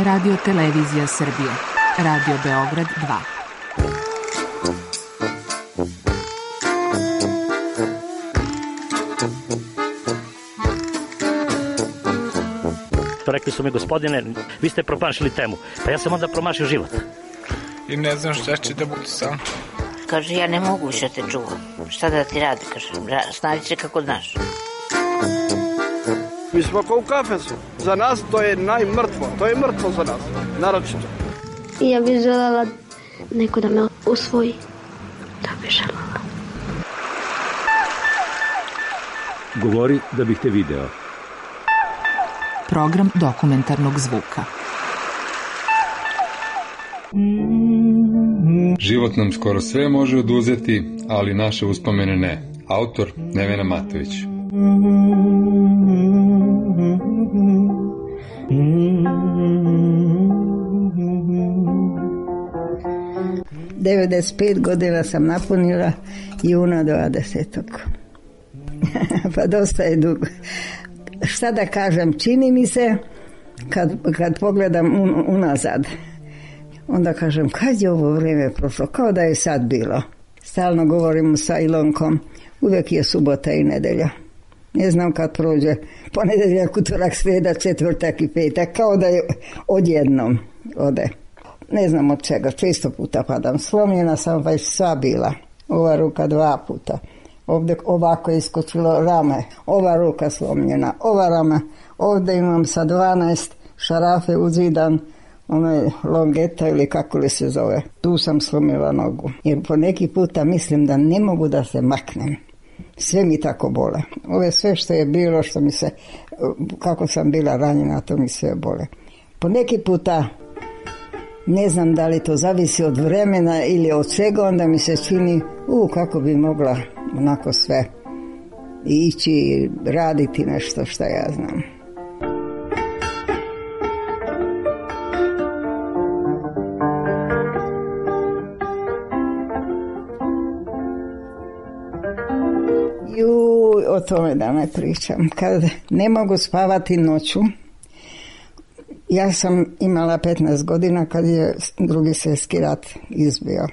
Radio Televizija Srbije. Radio Beograd 2. Rekli su mi, gospodine, vi ste promašili temu. Pa ja sam onda promašio život. I ne znam šta će da bude sam. Kaže, ja ne mogu više te čuvam. Šta da ti radi, kaže, snađi se kako znaš. Mi smo kao u kafesu. Za nas to je najmrtvo. To je mrtvo za nas, naročito. Ja bih željela neko da me usvoji. Da bih željela. Govori da bih te video. Program dokumentarnog zvuka. Život nam skoro sve može oduzeti, ali naše uspomene ne. Autor Nevena Matović. ...95 godina sam napunila juna 20. Pa dosta je dugo. Šta da kažem, čini mi se kad pogledam unazad, onda kažem, kad je ovo vrijeme prošlo, kao da je sad bilo. Stalno govorimo sa Ilonkom, uvijek je subota i nedelja. Ne znam kad prođe ponedeljak, utorak, srijeda, četvrtak i petak, kao da je odjednom ode. Ne znam od čega, često puta padam. Slomljena sam već sva bila, ova ruka 2 puta. Ovdje ovako je iskočilo rame, ova ruka slomljena, ova rame. Ovdje imam sa 12 šarafe uzidan, ono je longeta ili kako li se zove. Tu sam slomila nogu. Jer po neki puta mislim da ne mogu da se maknem. Sve mi tako bole. Ove sve što je bilo, što mi se, kako sam bila ranjena, to mi sve bole. Po neki puta, ne znam da li to zavisi od vremena ili od čega, onda mi se čini, kako bi mogla onako sve ići, raditi nešto što ja znam. O tome da ne pričam. Kad ne mogu spavati noću, ja sam imala 15 godina kad je Drugi svjetski rat izbio.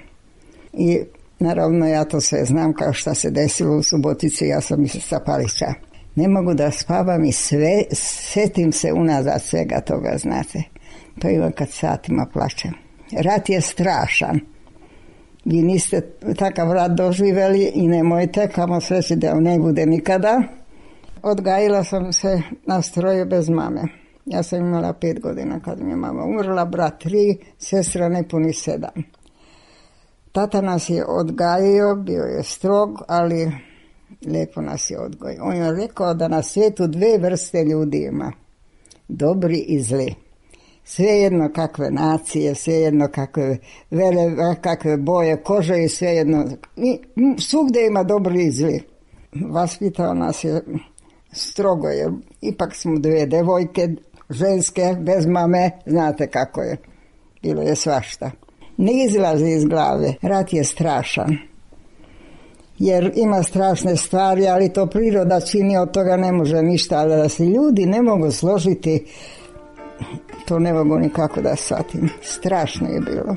I naravno ja to sve znam kao šta se desilo u Subotici, ja sam sa Palića. Ne mogu da spavam i sve, setim se unazad svega toga, znate. To imam kad satima plačem. Rat je strašan. Vi niste takav rat doživjeli i nemojte, kamo sreći da ne bude nikada. Odgajila sam se na stroju bez mame. Ja sam imala 5 godina kad mi je mama umrla, brat 3, sestra nepuni 7. Tata nas je odgajio, bio je strog, ali lijepo nas je odgojio. On je rekao da na svijetu 2 vrste ljudi ima, dobri i zli. Svejedno kakve nacije, svejedno kakve boje kože i svejedno. Svugdje ima dobri i zli. Vaspitao nas je strogo, jer ipak smo 2 devojke, ženske, bez mame, znate kako je. Bilo je svašta. Ne izlazi iz glave. Rat je strašan. Jer ima strašne stvari, ali to priroda čini, od toga ne može ništa. Ali da se ljudi ne mogu složiti, to ne mogu nikako da shvatim. Strašno je bilo.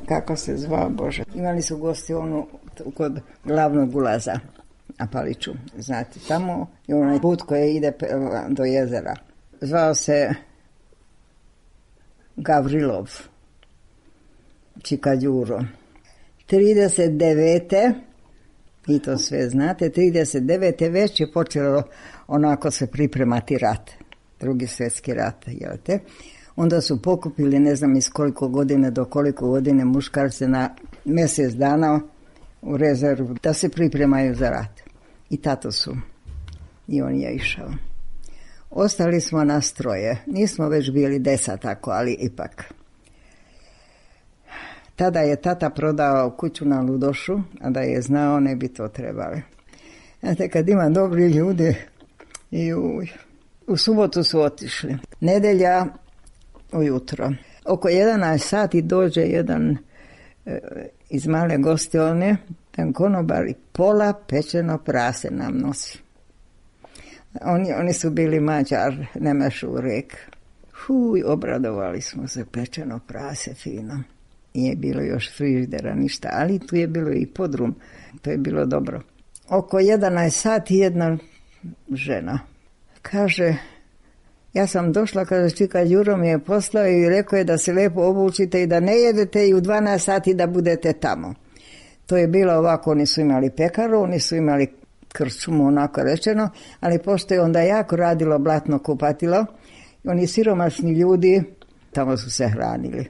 Kako se zvao, Bože? Imali su gostionu kod glavnog ulaza na Paliću. Znate, tamo je onaj put koji ide do jezera. Zvao se Gavrilov, Čika Đuro. 39. i to sve znate, 39. već je počelo onako se pripremati rat, Drugi svjetski rat, jel te? Onda su pokupili, ne znam iz koliko godine do koliko godine, muškarce na mjesec dana u rezervu da se pripremaju za rat. I tato su. I on je išao. Ostali smo nas 3. Nismo već bili 10 tako, ali ipak. Tada je tata prodao kuću na Ludošu, a da je znao ne bi to trebali. Znate, kad ima dobri ljudi, u subotu su otišli. Nedelja ujutro. Oko 11 sati dođe jedan iz male gostione, Ten konobar i pola pečeno prase nam nosi. Oni su bili Mađar, Nemešu rek. Obradovali smo se, pečeno prase fino. Nije bilo još frižidera, ništa, ali tu je bilo i podrum. To je bilo dobro. Oko 11 sati jedna žena kaže, ja sam došla, kaže, čika Đuro mi je poslao i rekao je da se lijepo obučite i da ne jedete i u 12 sati da budete tamo. To je bilo ovako, oni su imali pekaru, oni su imali krčmu, onako rečeno, ali pošto je onda jako radilo blatno kupatilo, oni siromašni ljudi tamo su se hranili.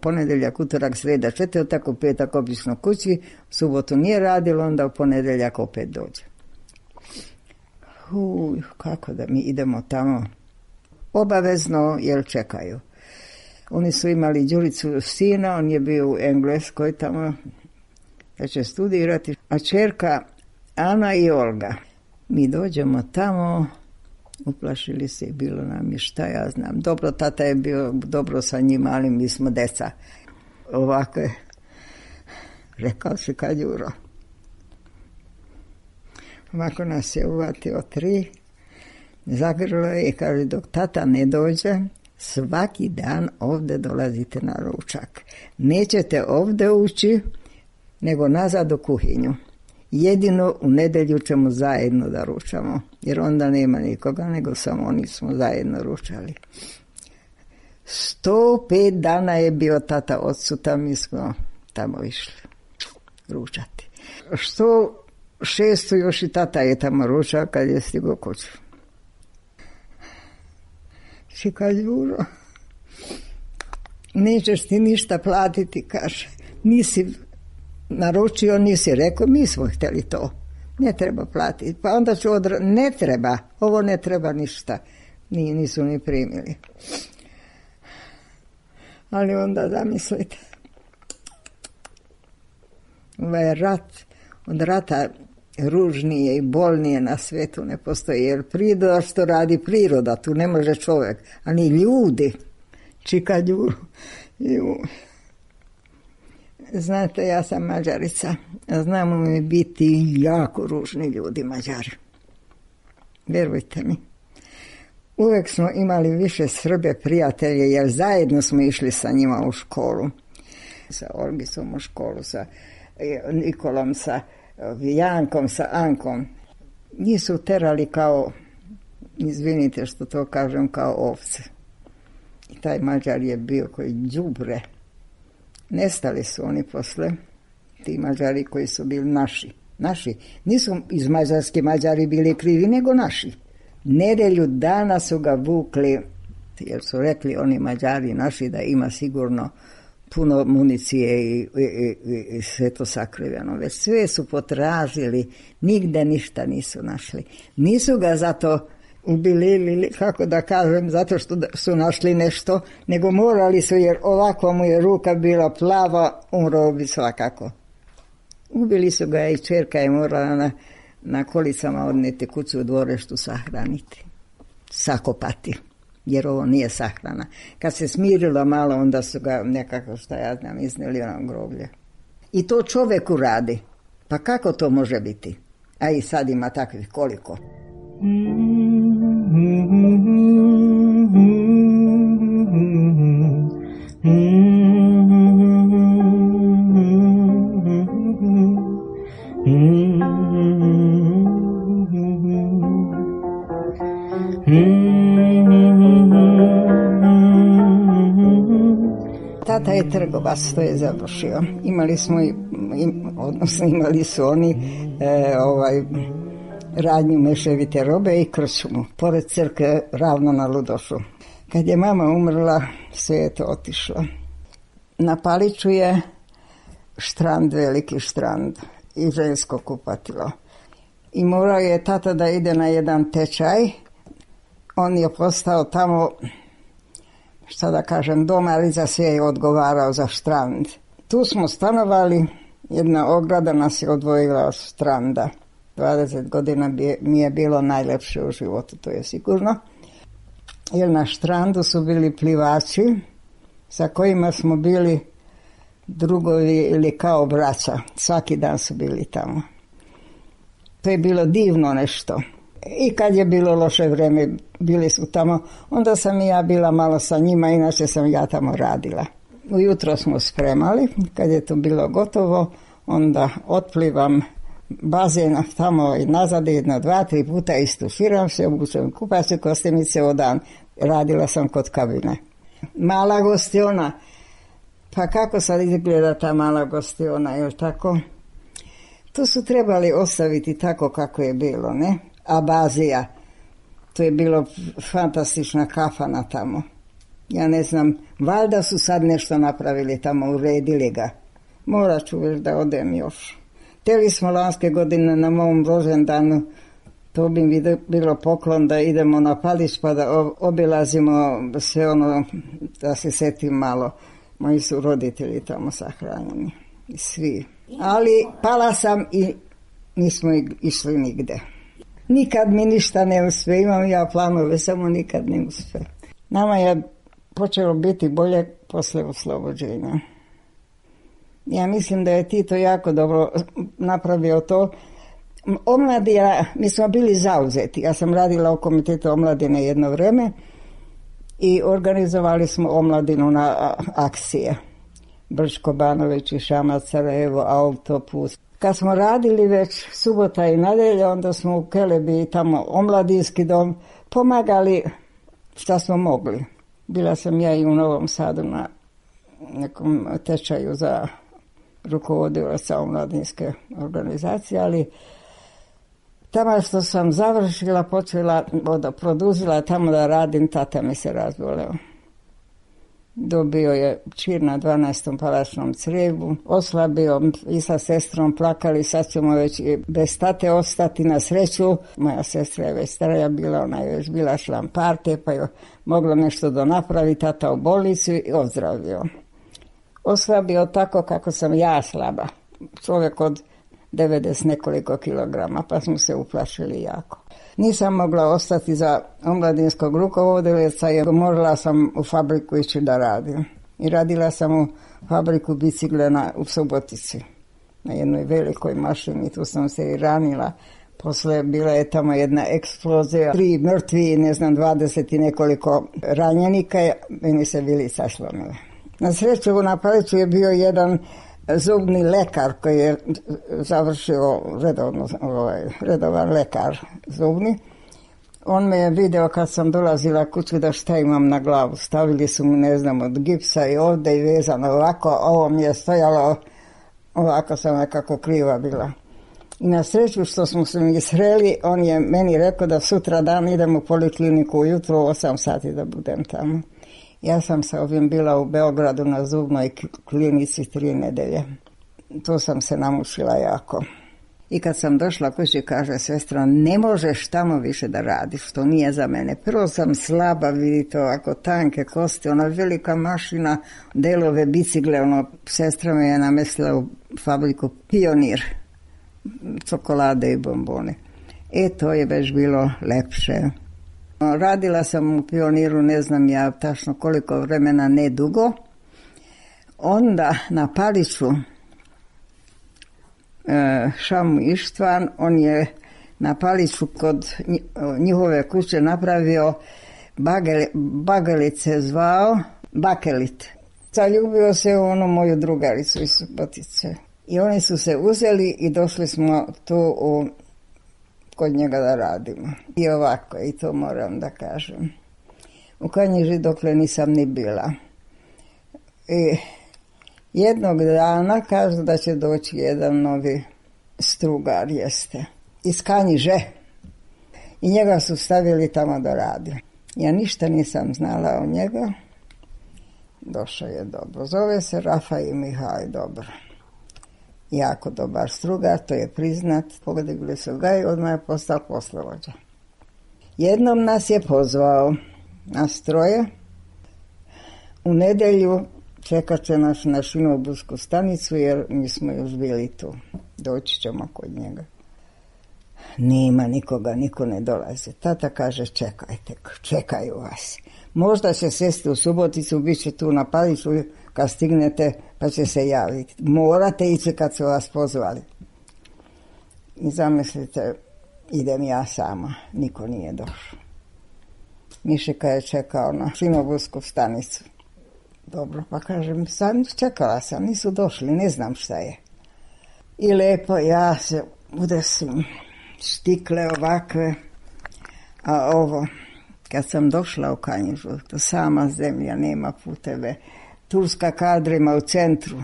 Ponedeljak, utorak, sreda, četvrtak, u petak obično kući, u subotu nije radilo, onda u ponedeljak opet dođe. Kako da mi idemo tamo? Obavezno, jer čekaju. Oni su imali Đuricu sina, on je bio u Engleskoj tamo, da će studirati, a čerka Ana i Olga. Mi dođemo tamo, uplašili se i bilo nam je šta ja znam. Dobro, tata je bio dobro sa njima, ali mi smo deca. Ovako je rekao se kad Đuro. Ovako nas je uvatio 3, zagrlo je i kaže dok tata ne dođe, svaki dan ovdje dolazite na ručak. Nećete ovdje ući, nego nazad u kuhinju. Jedino u nedjelju ćemo zajedno da ručamo, jer onda nema nikoga, nego samo oni smo zajedno ručali. 105 dana je bio tata odsutan, mi smo tamo išli ručati. 106 još i tata je tamo ručao kad je stigao kuću. Čika Đuro, nećeš ti ništa platiti, kaže, nisi naručio, nisi rekao, mi smo htjeli to, ne treba platiti, pa onda ću ne treba, ovo ne treba ništa, nisu ni primili. Ali onda zamislite, ovaj rat, od rata ružnije i bolnije na svijetu ne postoji, jer priroda što radi priroda, tu ne može čovjek, ani ljudi, čika Đuro. Znate, ja sam Mađarica, znamo mi biti jako ružni ljudi Mađari. Vjerujte mi. Uvijek smo imali više Srbe prijatelje, jer zajedno smo išli sa njima u školu. Sa Olgisom u školu, sa Nikolom, sa Jankom, sa Ankom. Njih su terali kao, izvinite što to kažem, kao ovce. I taj Mađar je bio koji đubre. Nestali su oni posle, ti Mađari koji su bili naši. Nisu iz Mađarske Mađari bili krivi, nego naši. Nedelju dana su ga vukli, jer su rekli oni Mađari naši da ima sigurno puno municije i sve to sakriveno. Već sve su potražili, nigde ništa nisu našli. Nisu ga zato ubili ili, kako da kažem, zato što su našli nešto, nego morali su, jer ovako mu je ruka bila plava, umro bi svakako. Ubili su ga i čerka je morala na kolicama odneti kuću u dvoreštu sahraniti, sakopati, jer ovo nije sahrana. Kad se smirilo malo, onda su ga nekako, šta ja znam, iznijeli na groblje. I to čovjeku radi. Pa kako to može biti? A i sad ima takvih koliko. Tata je trgovac, to je završio. Imali su oni radnju meševite robe i krčmu, pored crkve ravno na Ludošu. Kad je mama umrla, sve je to otišlo. Na Paliću je štrand, veliki štrand i žensko kupatilo. I morao je tata da ide na jedan tečaj. On je postao tamo, šta da kažem, domar i za sve je odgovarao za štrand. Tu smo stanovali, jedna ograda nas je odvojila od štranda. 20 godina mi je bilo najlepše u životu, to je sigurno. Jer na štrandu su bili plivači sa kojima smo bili drugovi ili kao braća. Svaki dan su bili tamo. To je bilo divno nešto. I kad je bilo loše vrijeme, bili su tamo, onda sam i ja bila malo sa njima, inače sam ja tamo radila. Ujutro smo spremali, kad je to bilo gotovo, onda otplivam bazen tamo i nazad 1, 2, 3 puta, istuširam se, obučem kupaće kostimice, odan. Radila sam kod kabine. Mala gostiona, pa kako sad izgleda ta mala gostiona, je li tako? To su trebali ostaviti tako kako je bilo, ne? Abazija, to je bilo fantastična kafana tamo. Ja ne znam, valjda su sad nešto napravili tamo, uredili ga. Morat ću već da odem još. Htjeli smo lanske godine na mom rođendanu, to bi mi bilo poklon da idemo na Palić pa da obilazimo sve ono, da se setim malo. Moji su roditelji tamo sahranjeni, svi. Ali pala sam i nismo išli nigde. Nikad mi ništa ne uspe, imam ja planove, samo nikad ne uspe. Nama je počelo biti bolje posle oslobođenja. Ja mislim da je Tito jako dobro napravio to. Omladina, mi smo bili zauzeti. Ja sam radila u komitetu omladine jedno vrijeme i organizovali smo omladinu na akcije. Brčko, Banović i Šamac, Sarajevo, autoput. Kad smo radili već subota i nedjelja, onda smo u Kelebi tamo omladinski dom pomagali šta smo mogli. Bila sam ja i u Novom Sadu na nekom tečaju za rukovodilaca omladinske organizacije, ali tamo što sam završila, produžila tamo da radim, tata mi se razboleo. Dobio je čir na 12. palačnom crijevu, oslabio i sa sestrom plakali, sad ćemo već bez tate ostati. Na sreću. Moja sestra je već starija bila, ona je već bila član partije, pa je moglo nešto da napravi, tata u bolnicu i ozdravio. Oslabio tako kako sam ja slaba, čovjek od 90 nekoliko kilograma, pa smo se uplašili jako. Nisam mogla ostati za omladinskog rukovodioca jer morala sam u fabriku ići da radim. I radila sam u fabriku bicikle u Subotici, na jednoj velikoj mašini, tu sam se i ranila. Posle bila je tamo jedna eksplozija, 3 mrtvi, 20 i nekoliko ranjenika, meni se vilica slomila. Na sreću na Paliću je bio jedan zubni lekar koji je završio redovan lekar zubni. On me je video kad sam dolazila kuću da šta imam na glavu. Stavili su mi, od gipsa i ovdje i vezano ovako, ovo mi je stojalo, ovako sam nekako kriva bila. I na sreću što smo se mi sreli, on je meni rekao da sutra dan idem u polikliniku ujutro u 8 sati da budem tamo. Ja sam sa ovim bila u Beogradu na zubnoj klinici 3 nedelje. Tu sam se namučila jako. I kad sam došla kući, kaže sestra, ne možeš tamo više da radiš, to nije za mene. Prvo sam slaba, vidite, ovako tanke kosti, ona velika mašina, delove bicikle, sestra me je namestila u fabriku Pionir, čokolade i bombone. To je već bilo lepše. Radila sam u Pioniru, ne znam ja tačno koliko vremena, ne dugo. Onda na Paliću Šamu Ištvan, on je na Paliću kod njihove kuće napravio bagelice, zvao Bakelit. Zaljubio se u onu moju drugaricu iz Subotice. I oni su se uzeli i došli smo tu kod njega da radimo. I ovako, i to moram da kažem. U Kanjiži dokle nisam ni bila. I jednog dana kažu da će doći jedan novi strugar, jeste, iz Kanjiže. I njega su stavili tamo da radi. Ja ništa nisam znala o njega. Došao je dobro. Zove se Rafaj Mihaj, dobro. Jako dobar strugar, to je priznat. Podigli su ga i odmah je postao poslovođa. Jednom nas je pozvao na stroje. U nedjelju čekat će nas na Šinobusku stanicu jer mi smo još bili tu. Doći ćemo kod njega. Nema nikoga, niko ne dolazi. Tata kaže čekajte, čekaju vas. Možda će sesti u Suboticu, bit će tu na Paliću kad stignete pa će se javiti. Morate ići kad su vas pozvali. I zamislite, idem ja sama, niko nije došao. Mišika je čekao na Šinobusku stanicu. Dobro, pa kažem, čekala sam, nisu došli, ne znam šta je. I lepo, ja se udesim, štikle ovakve, a ovo, kad sam došla u Kanjižu, to sama zemlja, nema puteve, turska kadrima u centru,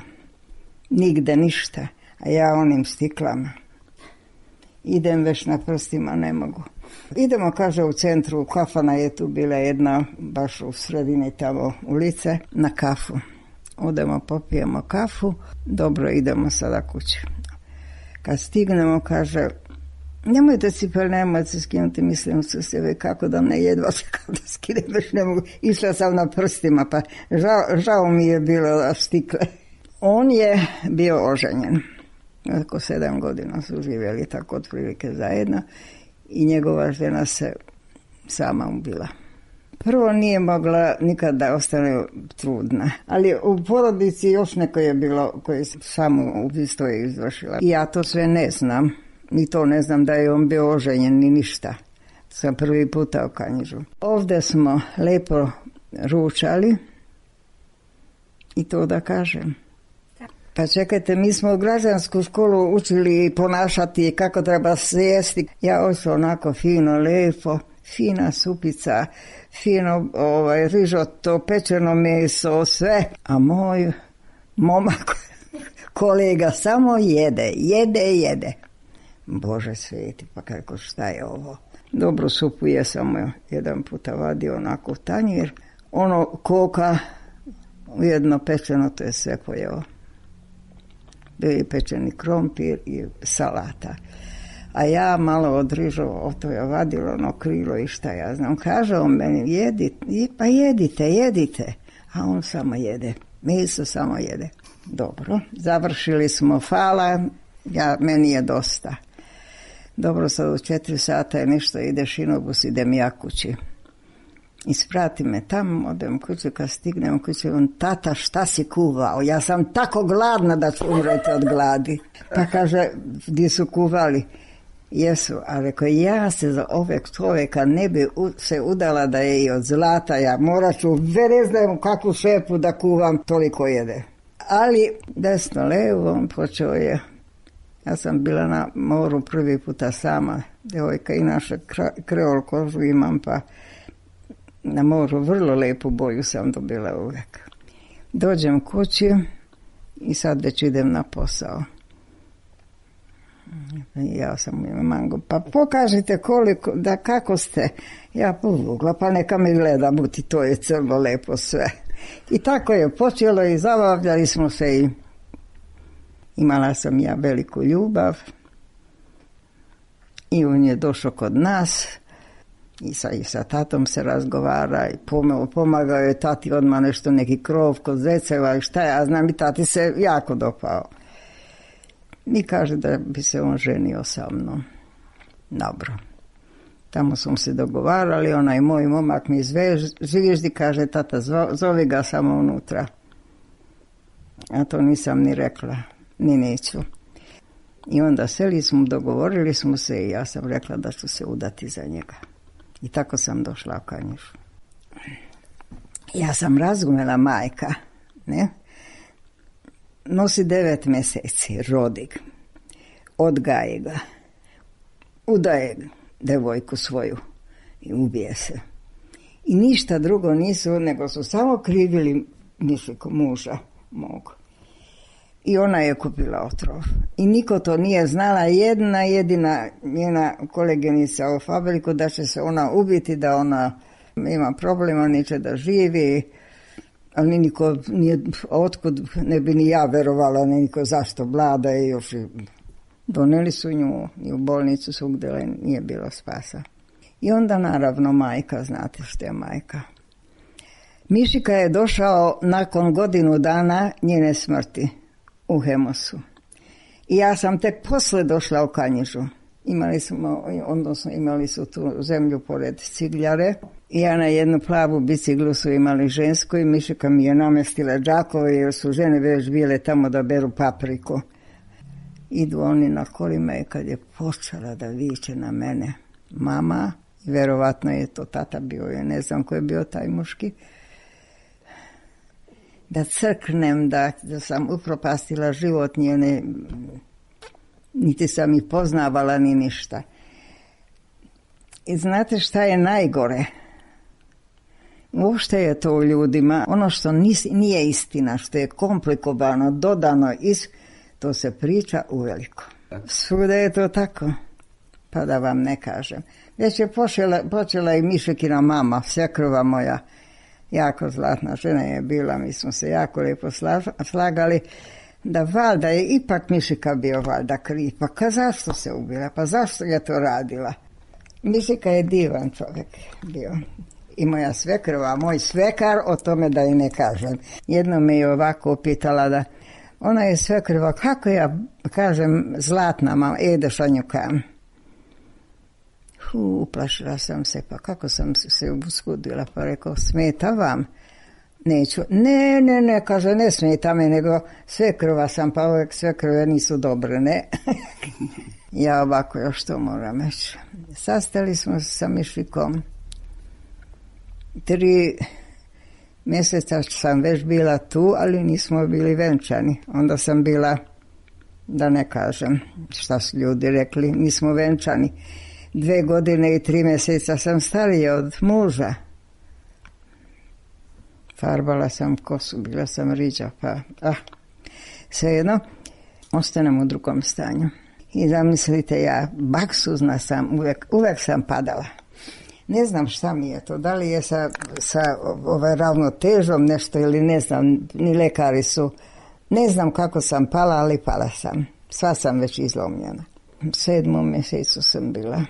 nigde ništa, a ja onim stiklama. Idem već na prstima, ne mogu. Idemo, kaže, u centru, kafana je tu bila jedna, baš u sredini tamo ulice, na kafu. Odemo, popijemo kafu, dobro, idemo sada kući. Kad stignemo, kaže, nemojte cipel, nemojte skinuti, mislim su sebe, kako da ne jedva kako da skinem, već ne mogu. Išla sam na prstima, pa žao mi je bilo da stikle. On je bio oženjen. Oko 7 godina su živjeli tako otprilike zajedno i njegova žena se sama ubila. Prvo nije mogla nikad da ostane trudna, ali u porodici još neko je bilo koje samo ubistvo je izvršila. I ja to sve ne znam, ni to ne znam da je on bio oženjen ni ništa. Sam prvi puta u Kanjižu. Ovdje smo lepo ručali i to da kažem. Pa čekajte, mi smo u građansku školu učili ponašati kako treba sjesti. Ja hoću onako fino, lepo, fina supica, fino rižoto, pečeno meso, sve. A moj momak, kolega, samo jede. Bože sveti, pa kako šta je ovo? Dobru supu je samo jedan puta vadio onako u tanjir. Ono koka, jedno pečeno, to je sve pojeo. Bio je pečeni krompir i salata. A ja malo od rižova, to je vadilo ono krilo i šta ja znam. Kaže on meni, jedite. A on samo jede. Meso samo jede. Dobro, završili smo, hvala, meni je dosta. Dobro, sad u 4 sata je nešto, ide Šinobus, idem ja kući. Isprati me tamo, odem kuću, kad stignem kuću, on, tata, šta si kuvao? Ja sam tako gladna da ću umreti od gladi. Pa kaže, gdje su kuvali? Jesu, a rekao, ja se za ovog čovjeka ne bi se udala da je i od zlata, ja morat ću, ne znam kakvu šepu da kuvam, toliko jede. Ali desno, levo, on počeo je. Ja sam bila na moru prvi puta sama, djevojka, inače kreol kožu imam, pa na moru vrlo lepu boju sam dobila uvijek. Dođem kući i sad već idem na posao. Ja sam ima mango, pa pokažite koliko, da kako ste. Ja povukla, pa neka me gleda, buti, to je crno lepo sve. I tako je počelo i zabavljali smo se i imala sam ja veliku ljubav. I on je došao kod nas i sa tatom se razgovara i pomagao je tati odmah nešto, neki krov kod zeceva i šta ja znam, i tati se jako dopao. I kaže da bi se on ženio sa mnom. Dobro. Tamo smo se dogovarali, onaj moj momak mi Živježdi kaže, tata, zovi ga samo unutra. A to nisam ni rekla, ni neću. I onda seli smo, dogovorili smo se i ja sam rekla da ću se udati za njega. I tako sam došla u Kanjižu. Ja sam razumela majka, ne? Nosi 9 mjeseci, rodi ga, odgaje ga, udaje devojku svoju i ubije se. I ništa drugo nisu, nego su samo krivili Mišiku, muža mog. I ona je kupila otrov. I niko to nije znala, jedna jedina njena koleginica u fabriku, da će se ona ubiti, da ona ima problema, neće da živi. Ali niko nije, otkud ne bi ni ja verovala, niko zašto vlada je još. Doneli su nju i u bolnicu svugdje, nije bilo spasa. I onda naravno majka, znate što je majka. Mišika je došao nakon godinu dana njene smrti u Hemosu. I ja sam tek posle došla u Kanjižu. imali su tu zemlju pored cigljare. I ja na jednu plavu biciklu su imali žensku i Mišika mi je namestila džakove jer su žene već bile tamo da beru papriku. Idu oni na kolima i kad je počela da viče na mene mama, verovatno je to tata bio, ja ne znam ko je bio taj muški, da crknem, da sam upropastila život njene, niti sam ih poznavala ni ništa. I znate šta je najgore? Uopšte je to u ljudima, ono što nije istina, što je komplikovano, dodano, to se priča uveliko. Svuda je to tako, pa da vam ne kažem. Već je počela i Mišikina mama, svekrva moja, jako zlatna žena je bila, mi smo se jako lijepo slagali, da valjda je ipak Mišika bio valjda kriv. Pa zašto se ubila, pa zašto je to radila? Mišika je divan čovjek bio. I moja svekrva, moj svekar, o tome da i ne kažem. Jedno me je ovako upitala da ona je svekrva, kako ja kažem zlatna mama, Šanjukam. Uplašila sam se, pa kako sam se uskudila, pa rekao, smeta vam? Neću. Ne, kaže, ne smeta me, nego svekrva sam, pa uvijek svekrve nisu dobre, ne. Ja ovako još to moram reći. Sastali smo se sa Mišikom. 3 mjeseca sam već bila tu, ali nismo bili venčani. Onda sam bila, da ne kažem šta su ljudi rekli, nismo venčani. 2 godine i 3 mjeseca sam starija od muža. Farbala sam kosu, bila sam riđa, pa svejedno, ostanem u drugom stanju. I zamislite, ja baksuzna sam, uvek sam padala. Ne znam šta mi je to, da li je sa ravnotežom nešto ili ne znam, ni lekari su. Ne znam kako sam pala, ali pala sam. Sva sam već izlomljena. U 7. mjesecu sam bila.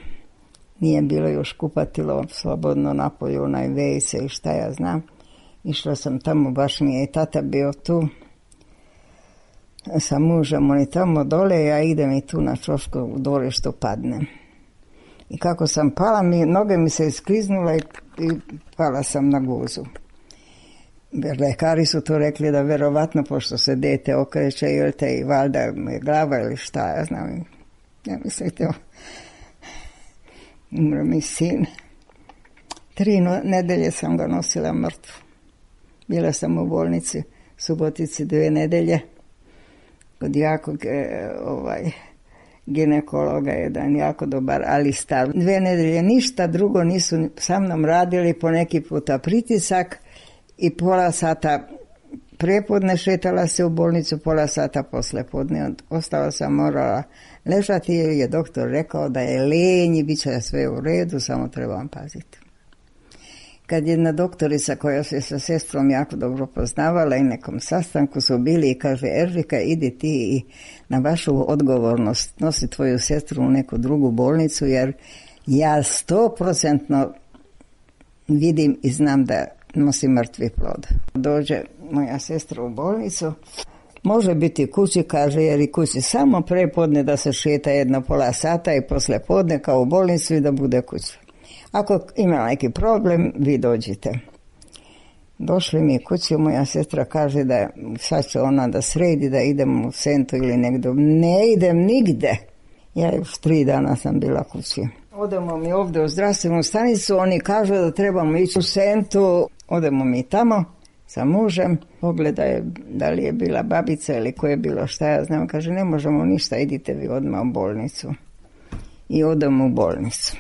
Nije bilo još kupatilo slobodno napolju, onaj vejce i šta ja znam. Išla sam tamo, baš mi je i tata bio tu. Sa mužem, oni tamo dole, ja idem i tu na čošku u dvorištu padnem. I kako sam pala, noge mi se iskliznula i pala sam na guzu. Lekari su to rekli da verovatno, pošto se dete okreće, ili te i valjda je glava ili šta, ja znam. Ja mislite, umro mi sin. 3 nedelje sam ga nosila mrtvu. Bila sam u bolnici, Subotici 2 nedelje. Kod jakog ginekologa, jedan jako dobar, ali star. 2 nedelje ništa drugo nisu sa mnom radili, po neki puta pritisak i pola sata prepodne šetala se u bolnicu, pola sata poslepodne. Ostala sam morala ležati jer je doktor rekao da je lenji, bit će sve u redu, samo trebam paziti. Kad jedna doktorica koja se sa sestrom jako dobro poznavala i nekom sastanku su bili i kaže, Eržika, idi ti i na vašu odgovornost nosi tvoju sestru u neku drugu bolnicu, jer ja 100% vidim i znam da nosi mrtvi plod. Dođe moja sestra u bolnicu, može biti kući, kaže, jer i kući samo prepodne da se šeta jedno pola sata i posle podne kao u bolnicu i da bude kući. Ako ima neki problem, vi dođite. Došli mi kući, moja sestra kaže da sad će ona da sredi, da idem u Sentu ili negdje. Ne idem nigde. Ja još 3 dana sam bila kući. Odemo mi ovdje u zdravstvenu stanicu, oni kažu da trebamo ići u Sentu. Odemo mi tamo sa mužem, pogledaj da li je bila babica ili ko je bilo, šta ja znam. Kaže, ne možemo ništa, idite vi odmah u bolnicu. I odemo u bolnicu.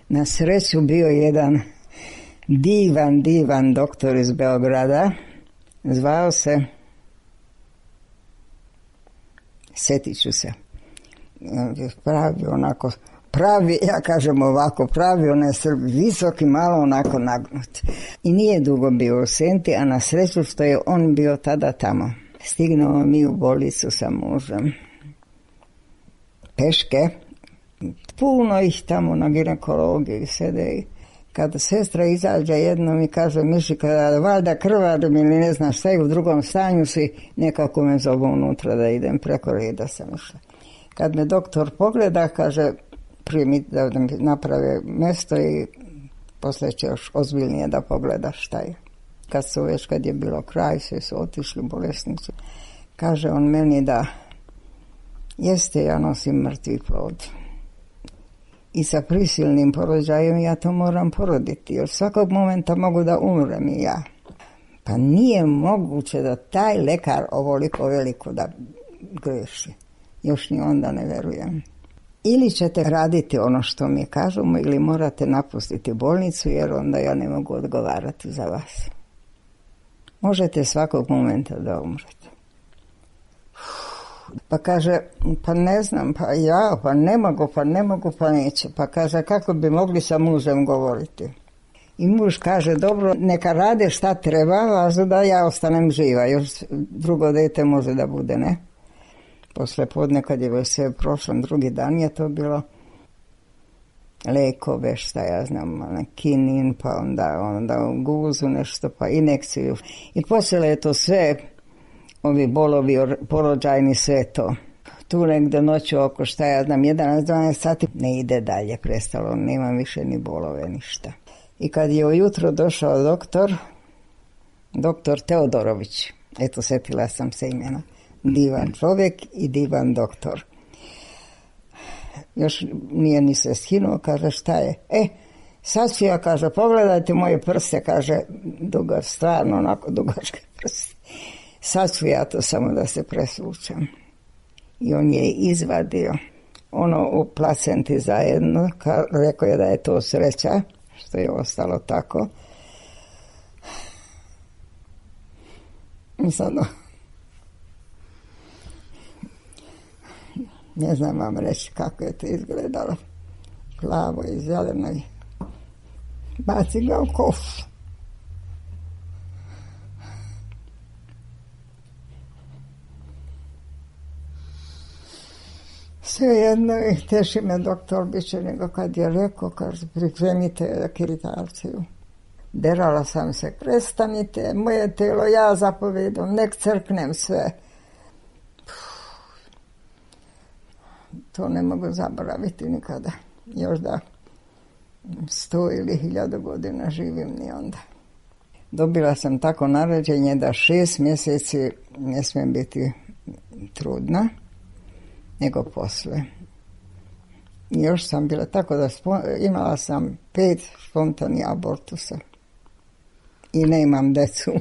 Na sreću bio jedan divan doktor iz Beograda, zvao se, setit ću se, pravi, ja kažem ovako, pravi, on je visoki, malo onako nagnut. I nije dugo bio u Senti, a na sreću što je on bio tada tamo. Stignuo mi u bolnicu sa mužem. Peške. Puno ih tamo na ginekologiji sede. Kada sestra izađe jednom i kaže, Mišika, valjda krvarim ili ne znam šta, i u drugom stanju si, nekako me zovu unutra da idem, preko reda sam išla. Kad me doktor pogleda, kaže, prije mi da mi naprave mjesto i poslije će još ozbiljnije da pogleda šta je. Kad je bilo kraj, svi su otišli bolesnici. Kaže on meni da jeste, ja nosim mrtvi plod. I sa prisilnim porođajem ja to moram poroditi, jer svakog momenta mogu da umrem i ja. Pa nije moguće da taj lekar ovoliko veliko da greši. Još ni onda ne verujem. Ili ćete raditi ono što mi kažemo, ili morate napustiti bolnicu, jer onda ja ne mogu odgovarati za vas. Možete svakog momenta da umrete. Pa kaže, pa ne znam, pa ne mogu, pa neće. Pa kaže, kako bi mogli sa mužem govoriti? I muž kaže, dobro, neka rade šta treba, važno da ja ostanem živa, još drugo dete može da bude, ne? Posle podne, kad je već sve prošlo, drugi dan je to bilo lekove, šta ja znam, kinin, pa onda u guzu nešto, pa inekciju. I počelo je to sve, ovi bolovi porođajni, sve to. Tu negde noću oko, šta ja znam, 11-12 sati, ne ide dalje, prestalo, nema više ni bolove, ništa. I kad je ujutro došao doktor Teodorović, eto, setila sam se imena, divan čovjek i divan doktor. Još nije ni se skinuo, kaže, šta je? Sasvija, kaže, pogledajte moje prste, kaže, duga, stvarno onako dugačke prste. Sasvija to samo da se presvučem. I on je izvadio ono u placenti zajedno, rekao je da je to sreća, što je ostalo tako. I sad, ne znam vam reći kako je to izgledalo. Plavo i zeleno i baci ga u kofu. Svejedno i teši me doktor biće nego kad je rekao, kaže, pripremite kiritarciju. Derala sam se, prestanite, moje telo, ja zapovedam, nek crknem sve. To ne mogu zaboraviti nikada. Još da 100 ili 1000 godina živim ni onda. Dobila sam tako naređenje da 6 mjeseci ne smijem biti trudna, nego posle. I još sam bila tako da imala sam 5 spontanih abortusa. I ne imam decu.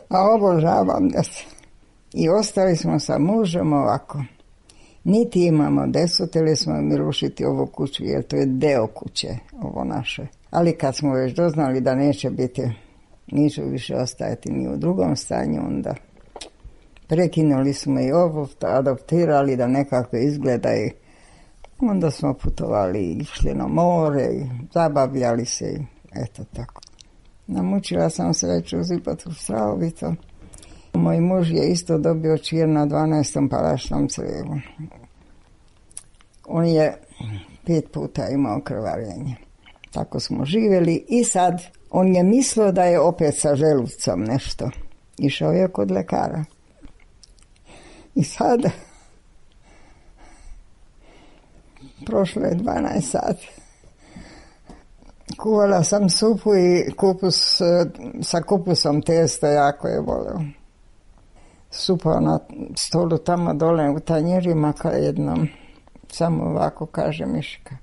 A obožavam decu. I ostali smo sa mužem ovako. Niti imamo decu, teli smo mi rušiti ovu kuću, jer to je deo kuće, ovo naše. Ali kad smo već doznali da neće više ostajati ni u drugom stanju, onda prekinuli smo i ovo, adoptirali da nekako izgleda i onda smo putovali i išli na more i zabavljali se i eto tako. Namučila sam se već uzipati u strahovito. Moj muž je isto dobio čir na 12. palašnom crijevu. On je 5 puta imao krvarenje. Tako smo živjeli i sad on je mislio da je opet sa želucom nešto. Išao je kod lekara. I sad prošlo je 12 sati. Kuvala sam supu i kupus, sa kupusom testo jako je voleo. Supa na stolu tamo dole u tanjirima ka jednom. Samo ovako kaže Miška.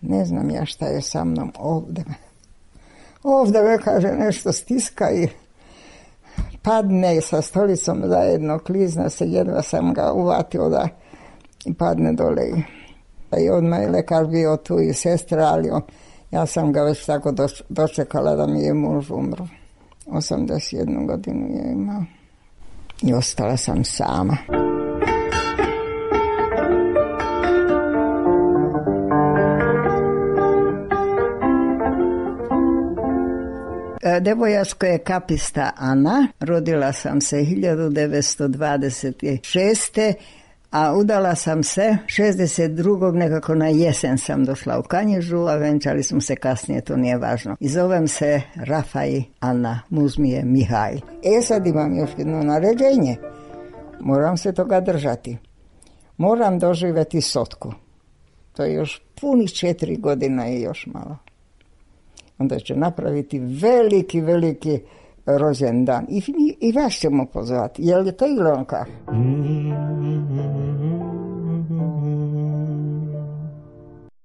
Ne znam ja šta je sa mnom ovdje. Ovdje me kaže nešto stiska i padne sa stolicom zajedno, klizna se, jedva sam ga uvatio da i padne dole. I odmah je lekar bio tu i sestra, ali ja sam ga već tako dočekala da mi je muž umro. 81 godinu je imao. I ostala sam sama. Devojačko je kapista Ana, rodila sam se 1926. A udala sam se 62. nekako na jesen sam došla u Kanjižu, a venčali smo se kasnije, to nije važno. I zovem se Rafaj Ana, muž mi je Mihajl. Sad imam još jedno naređenje, moram se toga držati. moram doživjeti Sotku. To je još punih 4 godina i još malo. Onda će napraviti veliki rođendan. I vas ćemo pozvati. Je li to Ilonka?